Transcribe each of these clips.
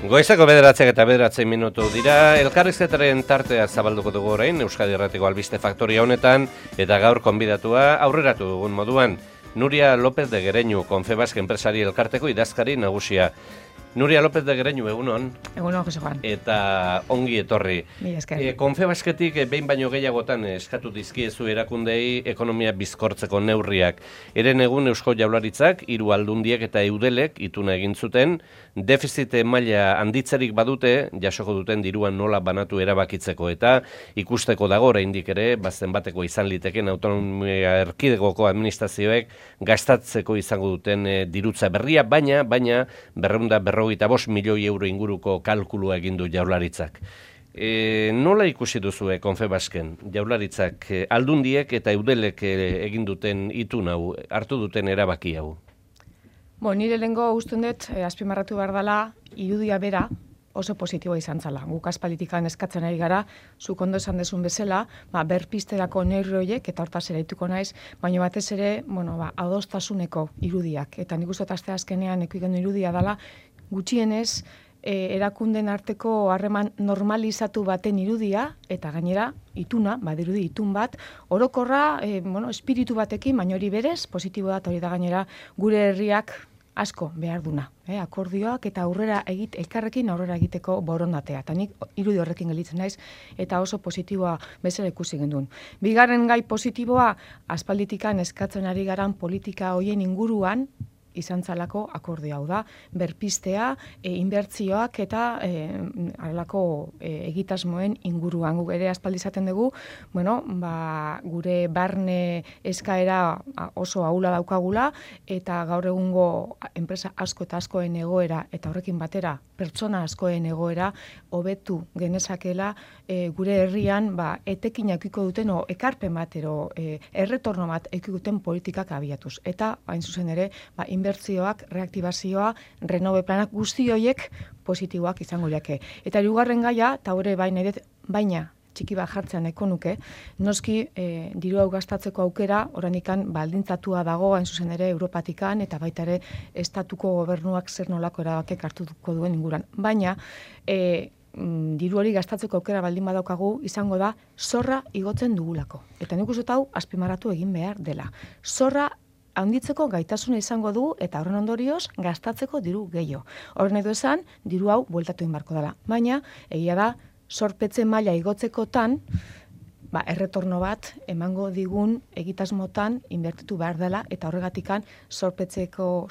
Goizeko 9:09 dira, elkarrizketaren tartea zabalduko dugu orain Euskadi Irratiko Albiste Faktoria honetan, eta gaur konbidatua aurreratu dugun moduan, Nuria López de Gereñu, Confebask enpresari elkarteko idazkari nagusia. Nuria López de Gereñu, egunon. Egunon, Jose Juan. Eta ongi etorri. Mila esker. Confebasketik behin baino gehiagotan eskatu dizkiezu erakundei ekonomia bizkortzeko neurriak. Eren egun Eusko Jaurlaritzak, 3 aldundiek eta eudelek ituna egin zuten, defizit maila handitzerik badute, jasoko duten diruan nola banatu erabakitzeko, eta ikusteko dago oraindik ere, bazen bateko izan liteken autonomia erkidegoko administrazioek gastatzeko izango duten dirutza berria, baina 255 milioi euro inguruko kalkulua egin du Jaurlaritzak. Nola ikusi duzue Confebasken Jaurlaritzak aldundiek eta eudelek egin duten itun hau, hartu duten erabaki hau? Nire lehengo usten dut, azpimarratu behar dela, irudia bera oso positiboa izan zala. Guk aspalitikan eskatzen ari gara, zuk ondo esan desun bezala, berpizterako neurri horiek, eta hortaz eraituko naiz, baina batez ere, adostasuneko irudiak. Eta nik uste aste azkenean ekuigen irudia dela, gutxienez, erakunden arteko harreman normalizatu baten irudia, eta gainera, ituna, badirudi itun bat, orokorra, espiritu batekin, baina hori berez, positiboa da, hori da gainera, gure herriak asko behar duna. Akordioak eta elkarrekin aurrera egiteko borondatea. Eta nik irudi horrekin gelditzen naiz, eta oso positiboa bezala ikusi gendun. Bigarren gai positiboa, aspalditikan eskatzen ari garan politika hoien inguruan, izan zalako akordio hau da, berpiztea, inbertzioak eta alako egitasmoen inguruan. Guk ere aspaldi izaten dugu, gure barne eskaera oso ahula daukagula, eta gaur egungo enpresa asko eta askoen egoera, eta horrekin batera pertsona askoen egoera, hobetu genezakela gure herrian etekinak iko duten, ekarpen bat, erretorno bat iko duten politikak abiatuz. Eta, hain zuzen ere, inbertzioak, reaktibazioa, renove planak guzti horiek positiboak izango liake. Eta hirugarren gaia, eta hori baina txiki bat jartzean eko nuke, noski diru hau gastatzeko aukera, oranikan baldintzatua dago, hain zuzen ere Europatikan, eta baita ere estatuko gobernuak zer nolako erabakek hartuko duen inguran. Baina, diru hori gastatzeko aukera baldin badaukagu, izango da zorra igotzen dugulako. Eta nik uste hau azpimarratu egin behar dela. Zorra handitzeko gaitasuna izango du, eta horren ondorioz gastatzeko diru gehiago. Horren edo esan, diru hau bueltatu inbarko dela. Baina, egia da, zorpetze maila igotzekotan, erretorno bat emango digun egitasmotan inbertitu behar dela, eta horregatikan zorpetzeko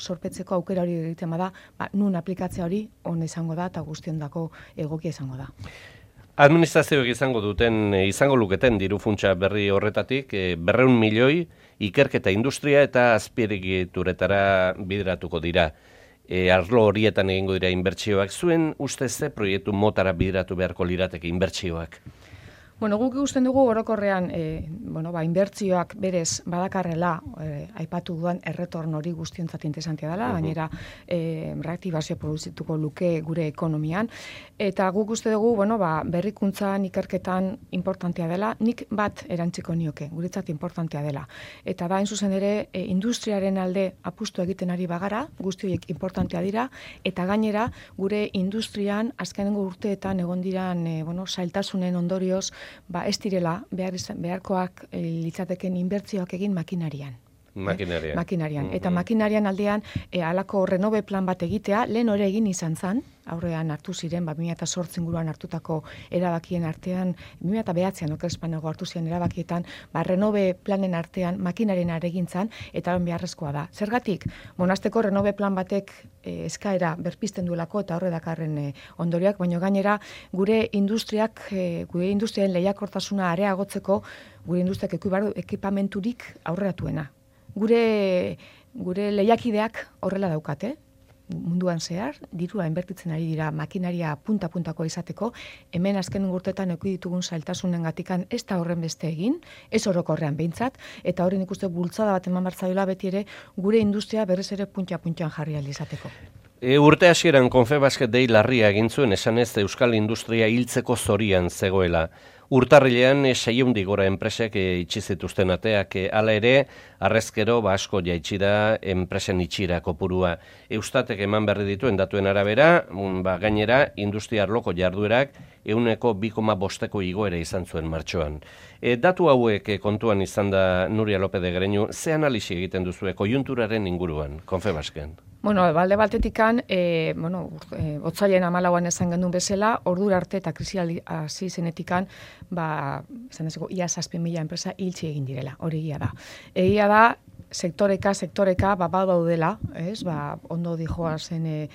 aukera hori egiten bada, nun aplikatzea hori ona izango da, eta guztiondako egokia izango da. Administrazioek izango luketen diru funtsa berri horretatik, 200 milioi ikerketa industria eta azpiegituretara bideratuko dira. Arlo horietan egingo dira inbertsioak. Zuen ustez ze proiektu motara bideratu beharko lirateke inbertsioak? Guk ikusten dugu orokorrean inbertzioak berez badakarrela aipatu duan erretorno hori guztiontzat interesantia dela, gainera reaktibazio produzituko luke gure ekonomian, eta guk uste dugu berrikuntzan, ikerketan importantea dela, nik bat erantziko nioke, guretzat importantea dela. Eta da, hain zuzen ere, industriaren alde apustu egiten ari bagara, guzti horiek importantea dira, eta gainera gure industrian azkenengo urteetan egon diran zailtasunen ondorioz, ez direla beharkoak litzateken inbertzioak egin makinarian. Makinarian. Eta makinarian aldean halako renove plan bat egitea, lehen hori egin izan zan, aurrean hartu ziren, 2008 inguruan hartutako erabakien artean, 2009an okerespanego hartu ziren erabakietan, renove planen artean makinarien aregintzan, eta hori beharrezkoa da. Zergatik, monasteko renove plan batek eskaera berpizten duelako, eta horre dakarren ondoriak, baina gainera gure industriaren lehiakortasuna areagotzeko, gure industriak ekipamenturik aurreratuena. Gure lehiakideak horrela daukate, munduan zehar, dirua inbertitzen ari dira makinaria punta-puntako izateko, hemen azken urteetan eduki ditugun zailtasunen gatikan ez da horren beste egin, ez orokorrean behintzat, eta hori nik uste bultzada bat eman bartzaiola beti ere, gure industria berrez ere punta-puntan jarri ahal izateko. Urte hasieran Confebasket dei larria egin zuen esanez Euskal Industria hiltzeko zorian zegoela. Urtarrilean 600 gora enpresek itxi zituzten ateak, hala ere, harrezkero asko jaitsi da enpresen itxira kopurua. Eustatek eman berri dituen datuen arabera, gainera, industria arloko jarduerak 2,5% igoera izan zuen martxoan. Datu hauek kontuan izan da Nuria López de Greñu, ze analisi egiten duzue koiunturaren inguruan, Confebasken? Balde batetikan, otzailen 14an esan genuen bezala, ordura arte eta krisi hasi zenetikan, ia 7.000 enpresa hiltzi egin direla, hori egia da. Egia da, sektoreka, badaudela, ondo dijoa zen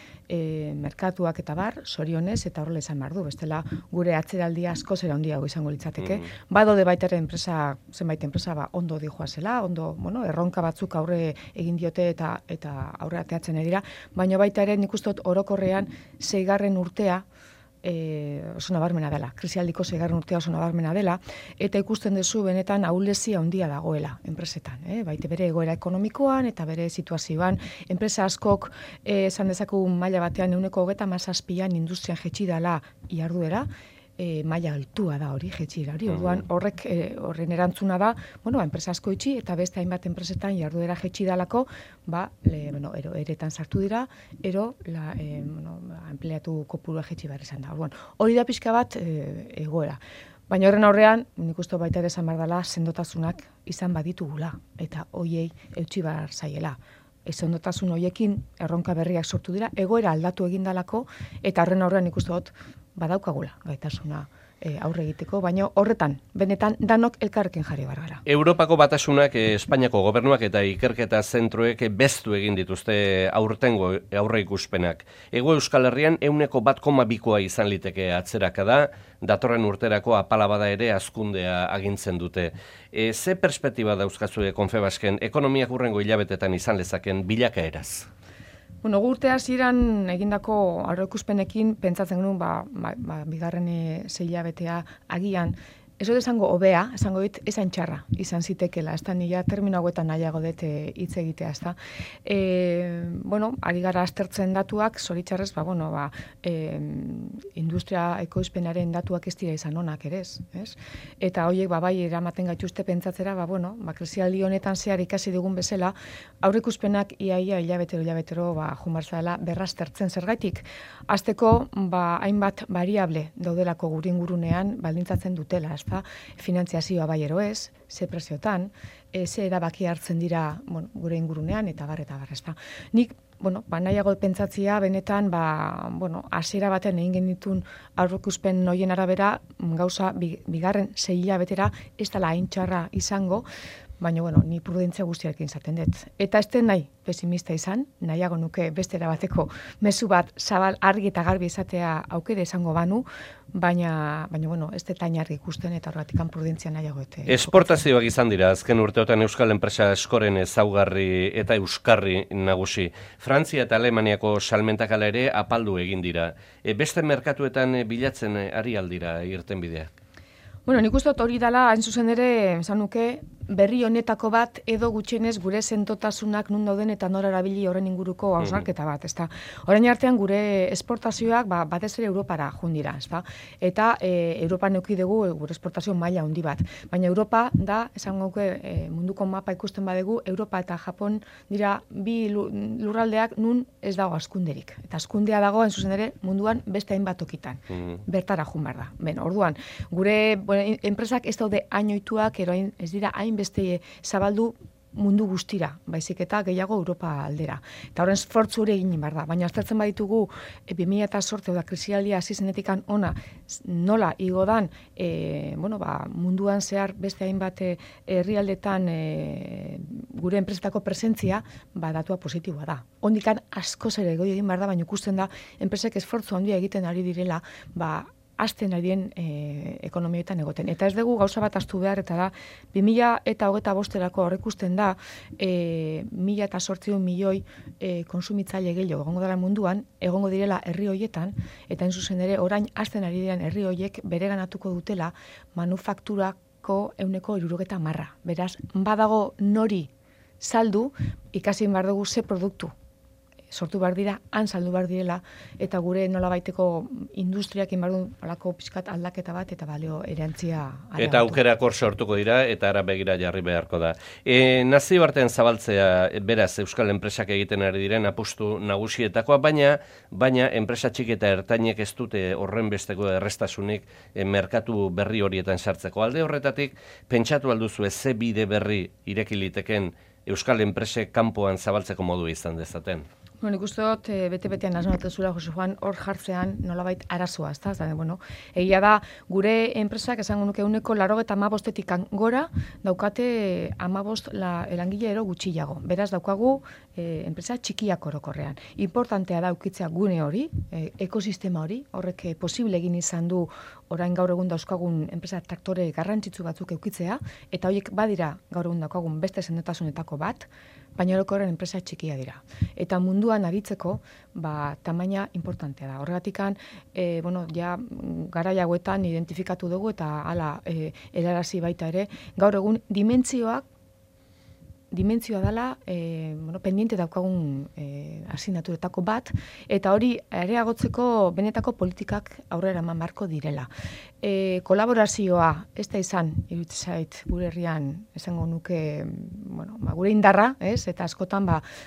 merkatuak eta bar, zorionez, eta horrela izan behar du, bestela gure atzeraldia asko zera handiago izango litzateke. Badaude baita ere zenbait enpresa ondo dijoa zela, ondo, erronka batzuk aurre egin diote eta aurre ateatzen dira, baina baita ere nik uste dut orokorrean 6. urtea oso nabarmena dela, krisialdiko 6. urtea oso nabarmena dela, eta ikusten duzu benetan ahulezia handia dagoela enpresetan, baita bere egoera ekonomikoan eta bere situazioan, enpresa askok esan dezakegu maila batean 27%an industrian jetxi dela iharduera, maila altua da hori, jetxira hori, orduan horren erantzuna da, enpresa asko itxi eta beste hainbat enpresetan jarduera jetxi dalako, eretan sartu dira, empleatu kopurua jetxi behar izan da. Orduan, hori da pixka bat egoera. Baina horren aurrean, nik uste baita ere esan behar dela, sendotasunak izan baditugula, eta hoiei eutxi behar zaiela. Sendotasun hoiekin erronka berriak sortu dira, egoera aldatu egin dalako, eta horren aurrean nik uste dut badaukagula gaitasuna aurre egiteko, baina horretan, benetan, danok elkarrekin jarri behar gara. Europako batasunak, Espainiako gobernuak eta ikerketa zentroek beztu egin dituzte aurtengo aurre ikuspenak. Hego Euskal Herrian 1,2% izan liteke atzeraka da, datorren urterako apala bada ere hazkundea agintzen dute. Ze perspektiba dauzkazue Confebasken ekonomiak hurrengo hilabetetan izan lezaken bilakaeraz? Urte hasieran egindako aurreikuspenekin pentsatzen genuen bigarren 6 hilabetea agian ez dut esango hobea, esango dit esan txarra izan zitekela, ez da nila termino hauetan nahiago dut hitz egitea, ez da. Ari gara aztertzen datuak, zoritxarrez, industria ekoizpenaren datuak ez dira izan onak ere, ez? Eta horiek, bai, eramaten gaituzte pentsatzera, krisialdi honetan zehar ikasi dugun bezala, aurreikuspenak iaia hilabetero jumartzala berraztertzen zergaitik. Azteko, hainbat variable daudelako gure ingurunean baldintzatzen dutela, ez da, finantziazioa bai ero ez, ze preziotan, ze erabaki hartzen dira gure ingurunean, eta bar, ez da. Nik, nahiago pentsatzia, benetan, hasiera baten egin genitun aurreikuspen noien arabera, gauza bigarren 6 hilabetera ez dela hain txarra izango, baina, ni prudentzia guztiarekin zaten dut. Eta ez den nahi pesimista izan, nahiago nuke bestera bateko mezu bat zabal argi eta garbi izatea aukera izango banu, baina ez dut hain argi ikusten eta horregatik prudentzia nahiago ete. Esportazioak izan dira, azken urteotan Euskal enpresa askoren ezaugarri eta euskarri nagusi. Frantzia eta Alemaniako salmentak ala ere apaldu egin dira. Beste merkatuetan bilatzen ari aldira irtenbideak? Nik uste dut hori dela, hain zuzen ere, esan nuke, berri honetako bat edo gutxienez gure sentotasunak nun dauden eta nora erabili horren inguruko hausnarketa bat, ezta. Orain artean gure esportazioak batez ere Europara joan dira, ezta. Eta Europan eduki dugu gure esportazio maila handi bat. Baina Europa da, esan gauke munduko mapa ikusten badegu, Europa eta Japon dira bi lurraldeak nun ez dago askunderik. Eta askundea dago, hain zuzen ere, munduan beste hainbat tokitan. Bertara joan behar da. Orduan, gure enpresak ez daude hain ohituak, eroain ez dira hain beste zabaldu mundu guztira, baizik eta gehiago Europa aldera. Eta horren esfortzu hori egin behar da. Baina aztertzen baditugu 2008 da krisialdia hasi zenetikan ona nola igo dan munduan zehar beste hainbat herrialdetan gure enpresetako presentzia datua positiboa da. Hondikan askoz ere goi egin behar da, baina ikusten da enpresek esfortzu handia egiten ari direla azten arien ekonomietan egoten. Eta ez dugu gauza bat astu behar, eta da, 2025erako aurreikusten da, 1.800 milioi konsumitzaile gehiago egongo dela munduan, egongo direla herri hoietan, eta hain zuzen ere, orain azten ari diren herri hoiek bereganatuko dutela manufakturako 70%. Beraz, badago nori saldu, ikasi behar dugu ze produktu sortu behar dira, han saldu behar direla, eta gure nolabaiteko industriak inbardu alako pixkat aldaketa bat, eta balio erantzia areagatu. Eta aukerak hor sortuko dira, eta ara begira jarri beharko da. Nazioartean zabaltzea, beraz, euskal enpresak egiten ari diren apustu nagusietakoa, baina enpresa txiki eta ertainek ez dute horren besteko errestasunik merkatu berri horietan sartzeko. Alde horretatik, pentsatu alduzu ze bide berri irekiliteken euskal enpresek kanpoan zabaltzeko modu izan dezaten. Bueno, nik uste dut, bete-betean asmatezula, Jose Juan, hor jartzean nolabait arazoa, ez da? Bueno, egia da, gure enpresak, esango nuke uneko 95-etik gora, daukate 15 elangile ero gutxiago. Beraz, daukagu enpresa txikiak orokorrean. Importantea da ukitzea gune hori, ekosistema hori, horrek posible egin izan du orain gaur egun dauzkagun enpresa traktore garrantzitsu batzuk eukitzea, eta horiek badira gaur egun daukagun beste sendetasunetako bat, baina orokorren enpresa txikia dira. Eta munduan aritzeko, tamaina importantea da. Horregatikan, ja garai hauetan identifikatu dugu eta hala helarazi baita ere, gaur egun dimentsioa dela pendiente daukagun asignaturetako bat, eta hori areagotzeko benetako politikak aurrera eman beharko direla. Kolaborazioa, ez da izan, iruditzen zait, gure herrian, esango nuke, gure indarra, eta askotan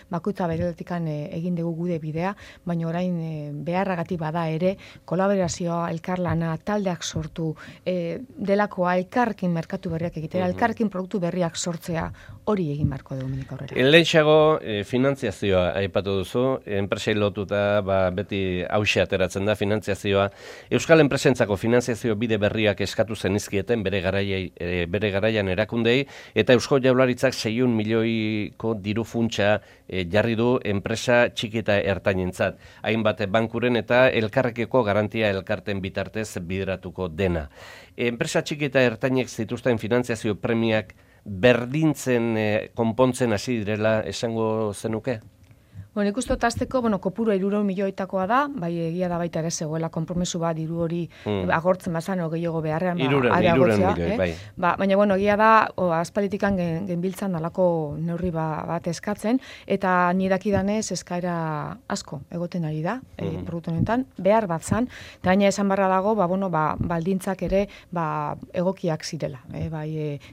bakoitza bereletikan egin dugu gude bidea, baina orain beharragatik bada ere, kolaborazioa, elkarlana, taldeak sortu, delakoa, elkarrekin merkatu berriak egitea, elkarrekin produktu berriak sortzea, hori egin beharko dugu menik aurrera. Lehentxeago finantziazioa aipatu duzu, enpresei lotuta beti hauxe ateratzen da finantziazioa. Euskal enpresentzako finantziazio bide berriak eskatu zenizkieten bere garaian erakundei, eta Eusko Jaurlaritzak 600 milioiko diru funtsa jarri du enpresa txiki eta ertainentzat. Hainbat bankuren eta elkarrekiko garantia elkarten bitartez bideratuko dena. Enpresa txiki eta ertainek zituzten finantziazio premiak berdintzen konpontzen hasi direla esango zenuke? Bueno, ikustu azteko, kopuru 300 milioitakoa da, bai egia da baita ere zegoela konpromesu bat diru hori agortzen bazan gehiago beharrean areagotzea. Bai. Baina, egia da, aspalitikan genbiltzan alako neurri bat eskatzen, eta nidakidanez eskaera asko egoten ari da, produktu honetan, behar bat zan, eta baina esan barra dago, baldintzak ere egokiak zirela.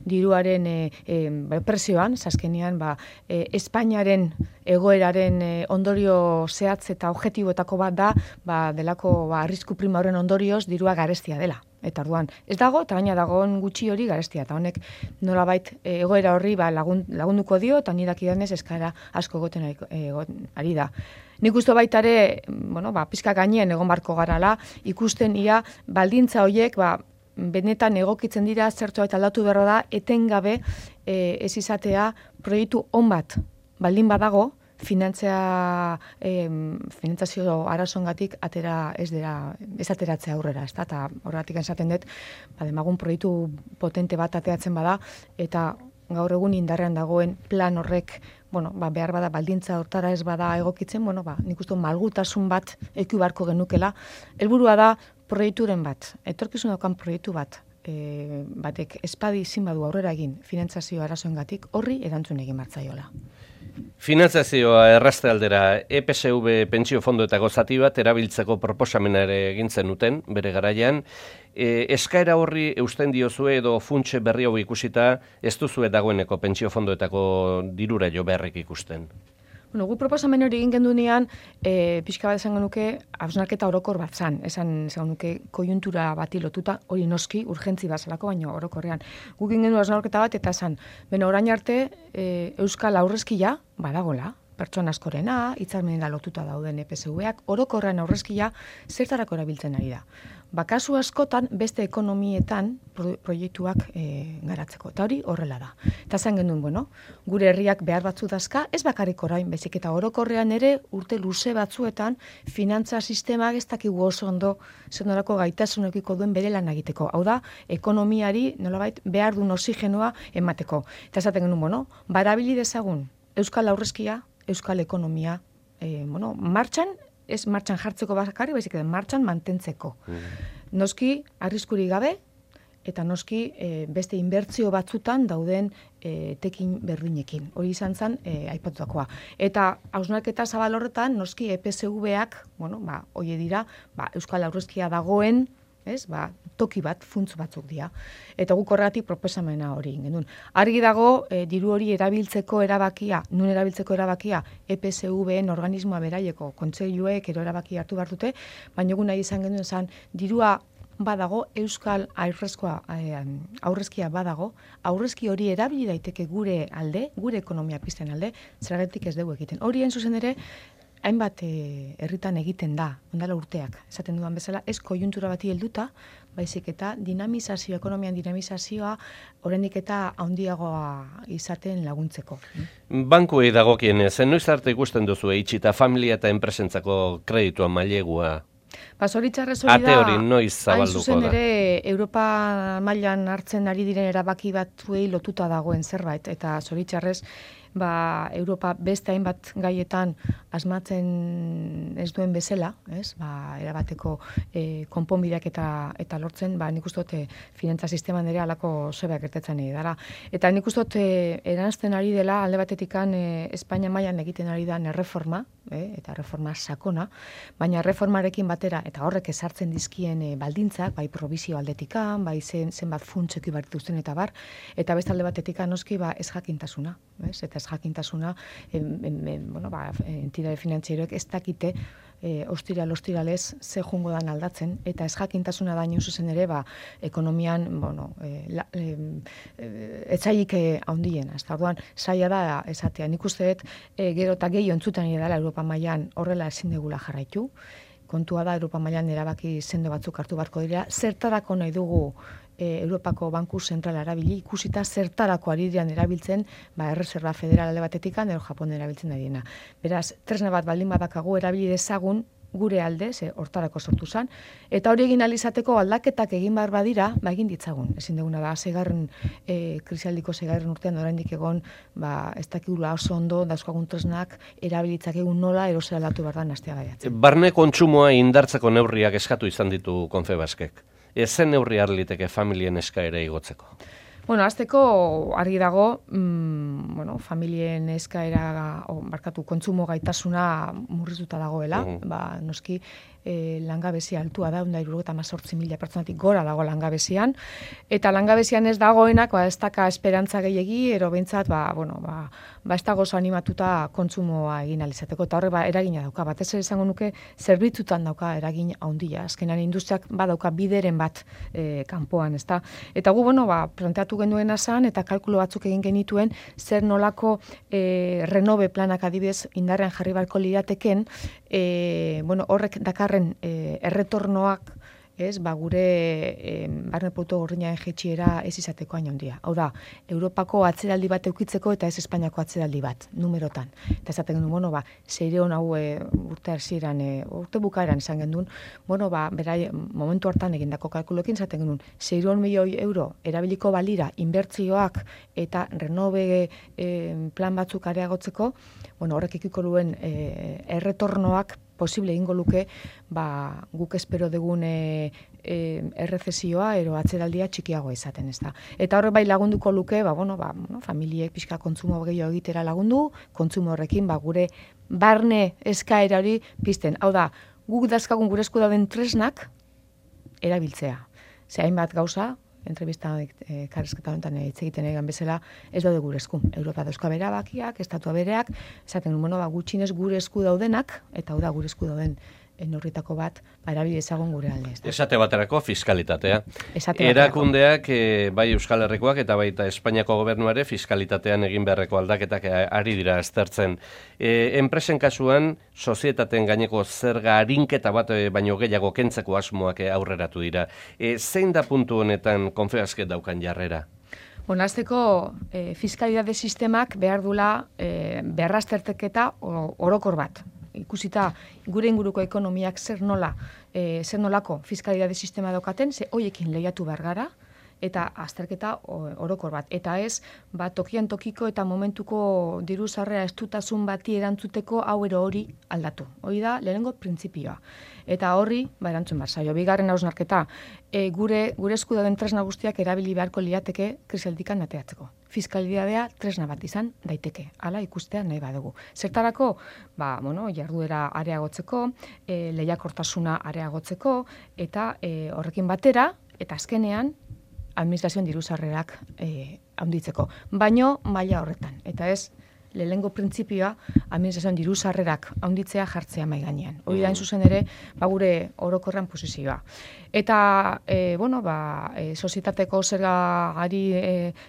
Diruaren presioan, zaskenean, Espainiaren egoeraren ondorio zehatz eta objektiboetako bat da, delako arrisku prima horren ondorioz dirua garestia dela. Eta orduan, ez dago, eta baina dagoen gutxi hori garestia, eta honek nolabait egoera horri lagunduko dio, eta nidakidanez eskaera asko egoten ari da. Nik uste baita ere, pizka gainean egon barko garala, ikusten ia baldintza horiek, benetan egokitzen dira, zertu eta aldatu berro da, etengabe ez izatea proiektu on bat baldin badago, finantzazio arazoengatik ez ateratzea aurrera, ez da, eta horregatik esaten dut, demagun proiektu potente bat ateratzen bada, eta gaur egun indarrean dagoen plan horrek, behar bada baldintza hortara ez bada egokitzen, nik uste malgutasun bat eku barko genukela, helburua da proiekturen bat, etorkizun daukan proiektu bat, batek espadi izin badu aurrera egin finantzazio arazoengatik horri erantzun egin martzaiola. Finantzazioa errazte aldera, EPSV pentsio fondoetako zati bat erabiltzeko proposamena ere egin zenuten bere garaian. Eskaera horri eusten diozue edo funtse berri hau ikusita ez duzue dagoeneko pentsio fondoetako dirura jo beharrik ikusten? Gu proposamen hori egin gendunean, pixka bat esango nuke, hausnarketa orokor bat zan, esango nuke kojuntura bati lotuta, hori noski, urgentzi bazalako, baina orokorrean. Guk egin gendu hausnarketa bat, eta esan, orain arte, Euskal aurrezkia badagola, pertsona askorena, hitzarmenera lotuta dauden EPSV-ak, orokorrean aurrezkia zertarako erabiltzen ari da. Kasu askotan beste ekonomietan proiektuak garatzeko. Eta hori horrela da. Eta zen genuen, gure herriak behar batzu dazka, ez bakarrik orain, bezik eta orokorrean ere urte luze batzuetan finantza sistemak ez dakigu oso ondo zenolako gaitasunekiko duen bere lan egiteko. Hau da, ekonomiari nolabait behar duen oxigenoa emateko. Eta esaten genuen, barabili dezagun Euskal aurrezkia, Euskal ekonomia, martxan, ez martxan jartzeko bakarri, baizik edo martxan mantentzeko. Noski, arriskuri gabe, eta noski beste inbertsio batzutan dauden tekin berdinekin. Hori izan zen aipatutakoa. Eta hausnarketa zabal horretan, noski EPSV-ak, hoie dira, Euskal Aurrezkia dagoen, toki bat, funtz batzuk dira. Eta guk horregatik proposamena hori genuen. Argi dago, diru hori erabiltzeko erabakia, nun erabiltzeko erabakia, EPSV-en organismoa beraieko, kontseiluek ero erabaki hartu behar dute, baina egun nahi izan genuen zen, dirua badago, Euskal aurrezkia badago, aurrezki hori erabili daiteke gure alde, gure ekonomia pizten alde, zergatik ez dugu egiten. Hori zuzen ere, hainbat herritan egiten da, ondala urteak, esaten dudan bezala, ez koiuntura bati helduta, baizik eta ekonomian dinamizazioa, oraindik eta handiagoa izaten laguntzeko. Bankuei dagokienez, noiz arte ikusten duzu itxita familia eta enpresentzako kreditua mailegua? Zoritxarrez hori da, ate hori noiz zabalduko da? Hain zuzen ere, Europa mailan hartzen ari diren erabaki batzuei lotuta dagoen zerbait, eta zoritxarrez, Europa beste hainbat gaietan asmatzen ez duen bezala, erabateko konponbideak eta lortzen, nik uste dut finantza sisteman ere alako zebeak gertetzen ari dara. Eta nik uste dut eranzten ari dela, alde batetikan Espainia mailan egiten ari da erreforma, eta reforma sakona, baina reformarekin batera, eta horrek ezartzen dizkien baldintzak, bai provizio aldetikan, bai zenbat funtseki barrituzten eta bar, eta beste alde batetikan noski ez jakintasuna, eta ez jakintasuna, entidade finantzieroek ez dakite ostiralez ze jungo dan aldatzen, eta ez jakintasuna da zuzen ere, ekonomian, etzaik handiena. Orduan, zaila da esatea. Nik uste dut, gero eta gehi ontzutan ere dela Europa mailan horrela ezin degula jarraitu. Kontua da, Europa mailan erabaki sendo batzuk hartu beharko dira. Zertarako nahi dugu Europako Banku Zentrala erabili, ikusita zertarako ari diren erabiltzen, Erreserba Federal alde batetikan, edo Japon erabiltzen ari dena. Beraz, tresna bat baldin badakagu erabili dezagun gure alde, hortarako sortu zen, eta hori egin alizateko aldaketak egin behar badira, egin ditzagun. Ezin duguna da, krisialdiko 6. urtean oraindik egon, ez dakigula oso ondo, dauzkagun tresnak, erabilitzak egun nola, erosera aldatu behar da nastea gaiatzen. Barne kontsumoa indartzeko neurriak eskatu izan ditu Confebaskek. Ezen neurri harliteke familien eskaera igotzeko? Azteko argi dago, familien eskaera, kontsumo gaitasuna murriztuta dagoela, noski langabezia altua da, 178.000 pertsonatik gora dago langabezian, eta langabezian ez dagoenak, ez daka esperantza gehiegi, ero behintzat, ez dago animatuta kontsumoa egin alizateko, eta horre eragina dauka, batez ere izango nuke, zerbitzutan dauka eragin handia, azkenan industriak badauka bideren bat kanpoan, ezta? Eta gu, planteatu genuena zan, eta kalkulo batzuk egin genituen, zer nolako renove planak adibidez indarrean jarri barko lirateken, horrek dakarren erretornoak, gure barne produktu gordinaren jaitsiera ez izateko hain handia. Hau da, Europako atzeraldi bat eukitzeko eta ez Espainiako atzeraldi bat, numerotan. Eta esaten genuen, seireon hau urte bukaeran izan genuen, berai, momentu hartan egindako kalkuloekin esaten genuen, 600 milioi euro erabiliko balira inbertzioak eta renove plan batzuk areagotzeko, horrek ikiko duen erretornoak posible egingo luke, guk espero dugun errezesioa ero atzeraldia txikiago izaten, ez da. Eta horre bai lagunduko luke, familiek pixka kontsumo gehiago egitera lagundu, kontsumo horrekin, gure barne eskaera hori pizten. Hau da, guk dazkagun gure esku dauden tresnak erabiltzea. Hainbat gauza, entrevista karrezketa honetan hitz egiten egan bezala, ez daude gure esku. Europa dauzka berabakiak, estatua bereak, esaten gutxinez gure esku daudenak, eta hau da gure esku dauden neurritako bat, erabili ezagun gure alde. Esate baterako fiskalitatea. Erakundeak, bai Euskal Herrikoak eta baita Espainiako gobernuare fiskalitatean egin beharreko aldaketak ari dira aztertzen. Enpresen kasuan, sozietateen gaineko zerga arinketa bat baino gehiago kentzeko asmoak aurreratu dira. Zein da puntu honetan Confebasket daukan jarrera? Azteko fiskalitate sistemak behar dula berrazterteketa orokor bat. Ikusita gure inguruko ekonomiak zer nolako fiskalitate sistema daukaten, ze hoiekin lehiatu behar gara, eta azterketa orokor bat. Eta ez, tokian tokiko eta momentuko diru sarrera estutasun bati erantzuteko hau ero hori aldatu. Hori da, lehenengo printzipioa. Eta horri, erantzun behar zaio. Bigarren hausnarketa, gure esku dauden tresna guztiak erabili beharko liateke krisialdikan ateatzeko. Fiskalidadea tresna bat izan daiteke. Hala ikustea nahi badugu. Zertarako, jarduera areagotzeko, lehiakortasuna areagotzeko, eta horrekin batera, eta azkenean, administrazioen diru sarrerak handitzeko. Baino maila horretan. Eta ez, lehenengo printzipioa administrazioen diru sarrerak handitzea jartzea mai gainean. Hori da, zuzen ere, gure orokorran posizioa. Eta, sozietateko zergari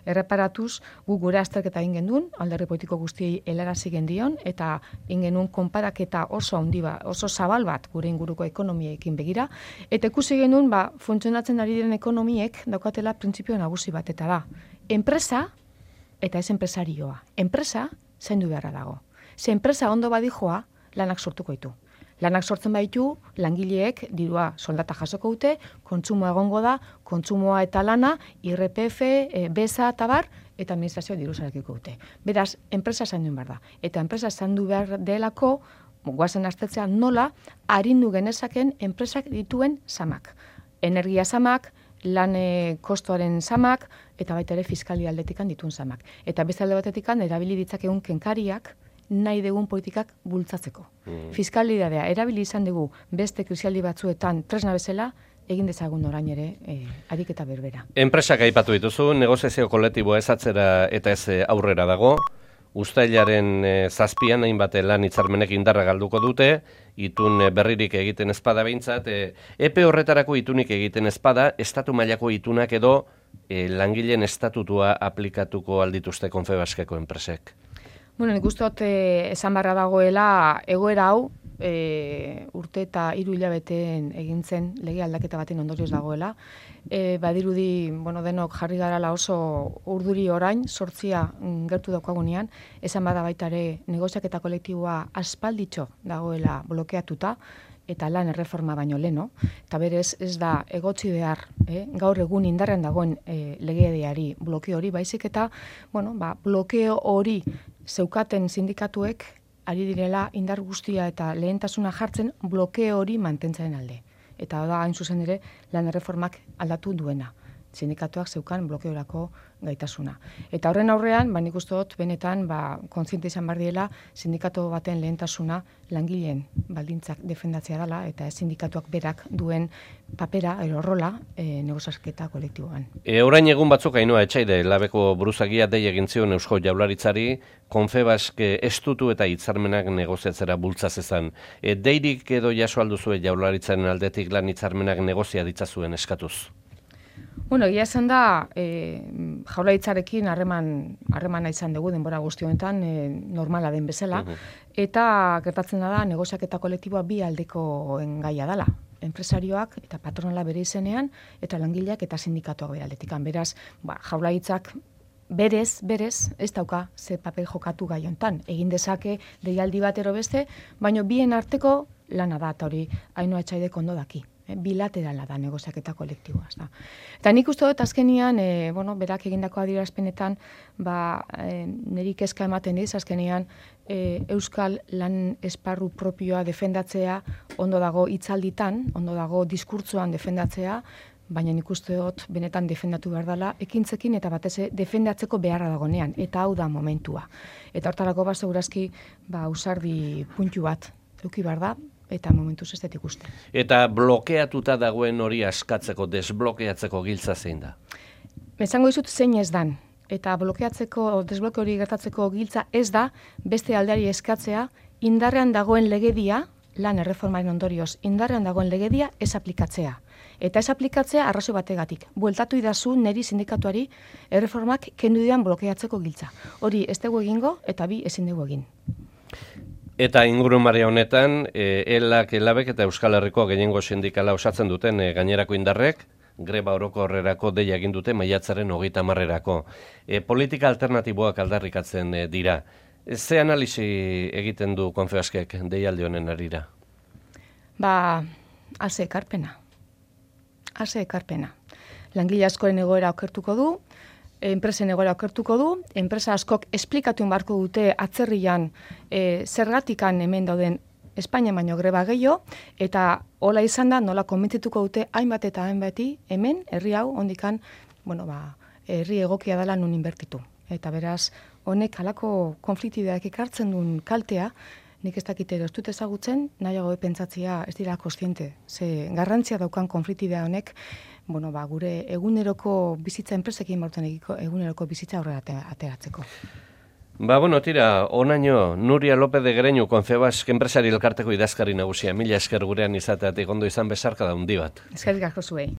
erreparatuz, gure azterketa egin genuen, alderdi politiko guztiei helarazi gendion, eta egin genuen konparaketa oso handi oso zabal bat gure inguruko ekonomiekin begira, eta ikusi genuen, funtzionatzen ari diren ekonomiek daukatela printzipio nagusi bat, eta da, enpresa eta ez enpresarioa. Enpresa zaindu beharra dago. Ze enpresa ondo badijoa, lanak sortuko ditu. Lanak sortzen baditu, langileek dirua soldata jasoko dute, kontsumoa egongo da, kontsumoa eta lana, IRPF, BESA eta bar, eta administrazioa diru sarekiko dute. Beraz, enpresa zaindu behar da. Eta enpresa zaindu behar delako, guazen aztertzea nola, arindu genezaken enpresak dituen zamak. Energia zamak, lan kostoaren zamak, eta baita ere fiskali aldetikan dituen zamak. Eta beste alde batetikan, erabili ditzakegun kenkariak, nahi dugun politikak bultzatzeko. Fiskalidadea erabili izan dugu beste krisialdi batzuetan tresna bezala, egin dezagun orain ere ariketa berbera. Enpresak aipatu dituzu, negoziazio kolektiboa ez atzera eta ez aurrera dago. Uztailaren zazpian hainbat lan hitzarmenek indarra galduko dute, itun berririk egiten ezpada behintzat, epe horretarako itunik egiten ezpada, estatu mailako itunak edo langileen estatutua aplikatuko aldituzte Confebaskeko enpresek. Nik uste dut esan barra dagoela egoera hau urte eta 3 hilabeteen egin zen lege aldaketa baten ondorioz dagoela. Badirudi, denok jarri garala oso urduri orain, 8 gertu daukagunean, esan bada baita ere negoziaketa kolektiboa aspalditxo dagoela blokeatuta, eta lan erreforma baino leno, eta berez ez da egotzi behar, gaur egun indarrean dagoen legedeari blokeo hori, baizik eta, blokeo hori zeukaten sindikatuek ari direla indar guztia eta lehentasuna jartzen blokeo hori mantentzaren alde. Eta da hain zuzen ere lan erreformak aldatu duena. Sindikatuak zeukan blokeorako gaitasuna. Eta horren aurrean, nik uste dut benetan kontziente izan behar diela sindikatu baten lehentasuna langileen baldintzak defendatzea dela eta ez sindikatuak berak duen papera edo rola negoziaketa kolektiboan. Orain egun batzuk Ainhoa Etxaide labeko buruzagia dei egin zion Eusko Jaurlaritzari Confebask estutu eta hitzarmenak negoziatzera bultza zezan. Deirik edo jaso alduzue Jaurlaritzaren aldetik lan hitzarmenak negozia ditzazuen eskatuz? Egia esan da, Jaurlaritzarekin harremana izan dugu denbora guzti honetan, normala den bezala, eta gertatzen da negoziaketa kolektiboa bi aldekoen gaia dela. Enpresarioak eta patronala bere izenean, eta langileak eta sindikatuak bere aldetikan. Beraz, Jaurlaritzak berez, ez dauka ze papel jokatu gai hontan. Egin dezake deialdi bat ero beste, baina bien arteko lana da, eta hori Ainhoa Etxaidek ondo daki. Bilaterala da negoziaketa kolektiboa. Eta nik uste dut azkenian, berak egindako adierazpenetan, niri kezka ematen diz, azkenian euskal lan esparru propioa defendatzea ondo dago hitzalditan, ondo dago diskurtzoan defendatzea, baina nik uste dut benetan defendatu behar dela, ekintzekin eta batez defendatzeko beharra dagonean, eta hau da momentua. Eta hortarako segurazki ausardi puntu bat eduki behar da, eta momentuz ez dut ikusten. Eta blokeatuta dagoen hori askatzeko, desblokeatzeko giltza zein da? Esango dizut zein ez dan. Eta desbloke hori gertatzeko giltza ez da, beste aldeari eskatzea, indarrean dagoen legedia, lan erreformaren ondorioz, indarrean dagoen legedia ez aplikatzea. Eta ez aplikatzea arrazoi bategatik. Bueltatu idazu neri sindikatuari erreformak kendu dian blokeatzeko giltza. Hori ez dugu egingo eta bi ezin dugu egin. Eta ingurumarea honetan, elabek eta Euskal Herriko gehiengo sindikala osatzen duten gainerako indarrek, greba orokorrerako deia egin dute maiatzaren 30erako. Politika alternatiboak aldarrikatzen dira. Ze analisi egiten du Confebaskek deialdi honen harira? Ase ekarpena. langile askoren egoera okertuko du, enpresen egoera okertuko du, enpresa askok esplikatu barko dute atzerrian zergatikan hemen dauden Espainia baino greba gehiago, eta hola izan da, nola konbentzituko dute hainbat eta hainbati hemen, herri hau, ondikan, herri egokia dela nun inbertitu. Eta beraz, honek halako konfliktideak ekartzen duen kaltea, nik ez dakite ez dut ezagutzen, nahiago pentsatzea ez dira kontziente. Ze garrantzia daukan konfliktidea honek, gure eguneroko bizitza enpresekin bauten eguneroko bizitza aurrera ateratzeko. Tira, onaino, Nuria López de Greñu, Confebask enpresari elkarteko idazkari nagusia. Mila esker gurean izateatik ondo izan besarka da hundi bat. Eskerrik asko zuei.